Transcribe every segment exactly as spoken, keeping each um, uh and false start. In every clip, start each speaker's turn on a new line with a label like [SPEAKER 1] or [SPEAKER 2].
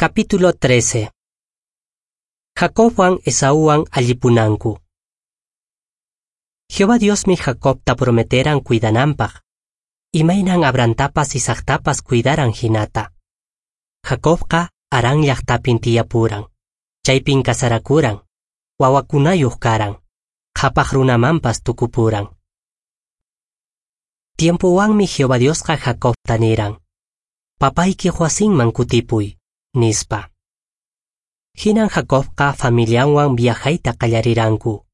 [SPEAKER 1] Capítulo trece. Jacobwan Esauwan allipunanku. Jehová Diosmi Jacobta prometeran cuidananpaq. Imaynan Abrahamtapas Isaactapas cuidaran hinata. Jacobqa Harán llaqtapin tiyapuran. Chaypin kasarakuran. Wawakunayuq karan. Qhapaq runamanpas tukupuran. Tiempowanmi Jehová Diosqa Jacobta niran: "Papaykiq wasinman kutipuy", nispa. Hinan Jacobqa familianwan viajayta qallariranku.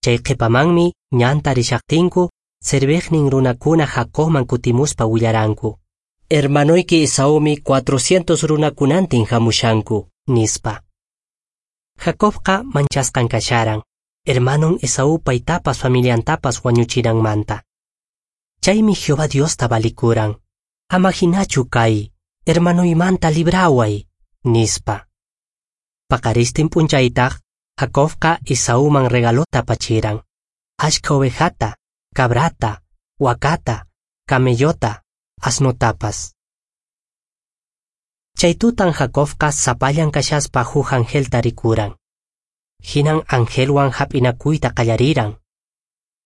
[SPEAKER 1] Chay qhipamanmi ñanta rishaqtinku serviqnin runakuna Jacobman kutimuspa willaranku: "Hermanoyki Esaumi cuatrocientos runakunantin hamushanku", nispa. Jacobqa manchasqan kasharan, hermanon Esaú paytapas familiantapas wañuchinanmanta. Chaymi Jehová Diosta valikuran: "Ama hinachu kay, hermanoymanta libraway", nispa. Paqaristin p'unchaytaq, Jacobqa Esauman regalota apachiran: ashka ovejata, cabrata, wakata, camellota, asnotapas. Chay tutan Jacobqa sapallan kashaspa huk angelta rikuran. Hinan angelwan hap'inakuyta qallariran.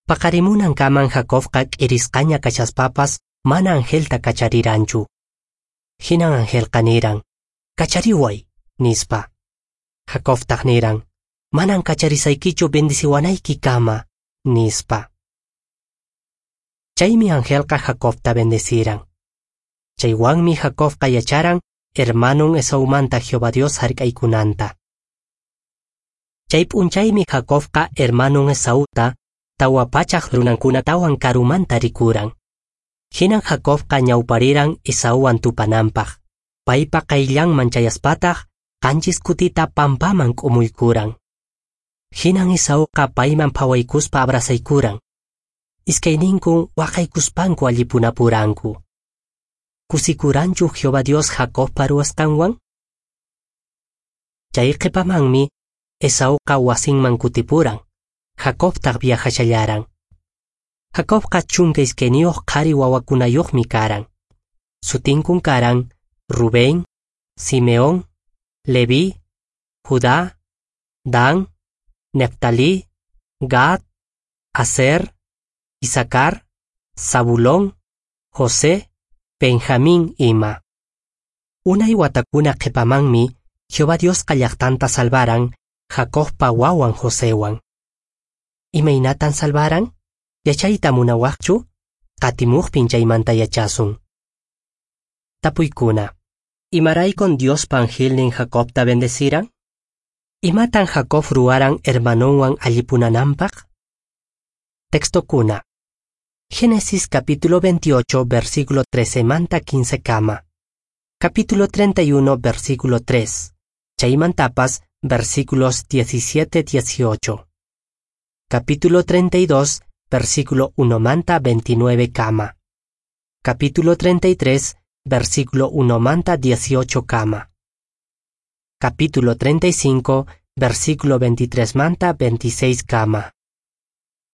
[SPEAKER 1] Paqarimunankaman Jacobqa k'irisqaña kashaspapas mana angelta kachariranchu. Hinan angelqa niran: "Kachariway", nispa. Jacobtaq niran: "Manan kacharisaykichu bendiciwanayki kama", nispa. Chaymi angelqa Jacobta bendeciran. Chaywanmi Jacobqa yacharan hermanon Esaumanta Jehová Dios hark'aykunanta. Chay p'unchaymi Jacobqa hermanon Esauta tawa pachaq runankunatawan karumanta rikuran. Hinan Jacobqa ñawpariran Esauwan tupananpaq. Paypa qayllanman chayaspataq qanchis kutita pampaman k'umuykuran. Hinan Esauqa payman phawaykuspa abrazaykuran. Iskayninkun waqaykuspanku allipunapuranku. Kusikuranchu Jehová Dios Jacobpa ruwasqanwan? Chay qhipamanmi Esauqa wasinman kutipuran. Jacobtaq viajashallaran. Jacobqa chunka iskayniyuq qhari wawakunayuqmi karan. Sutinkun karan Rubén, Simeón, Leví, Judá, Dan, Neftalí, Gad, Aser, Isacar, Zabulón, José, Benjamín ima. Unay watakuna qhipamanmi Jehová Diosqa llaqtanta salvaran Jacobpa wawan Josewan. Imaynatan salvaran? Yachayta munawaqchu? Qatimuqpin chaymanta yachasun. Tapuykuna. Imaraykun Diospa angelnin Jacobta bendeciran? Imatan Jacob ruwaran hermanonwan allipunananpaq? Textokuna. Génesis capítulo veintiocho, versículo trece manta quince kama. Capítulo treinta y uno, versículo tres. Chaymantapas, versículos diecisiete dieciocho. Capítulo treinta y dos, versículo uno manta veintinueve kama. Capítulo treinta y tres, versículo uno manta dieciocho kama. Capítulo treinta y cinco, versículo veintitrés manta veintiséis kama.